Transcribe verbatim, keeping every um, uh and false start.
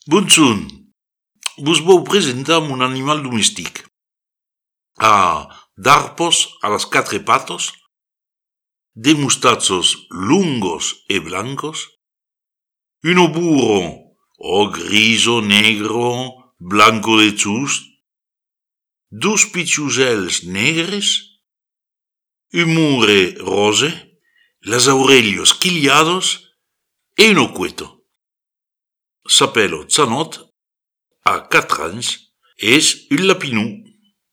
Bonjour, vos vou presentar mon animal domestique. A darpos a las quatre patos, de mustachos lungos e blancos, uno burro o griso, negro, blanco de chus, dos pichusels negres, un mure rose, las aurelios quiliados e uno cueto. S'appelle Chanot, a quatre anys, és un lapinou.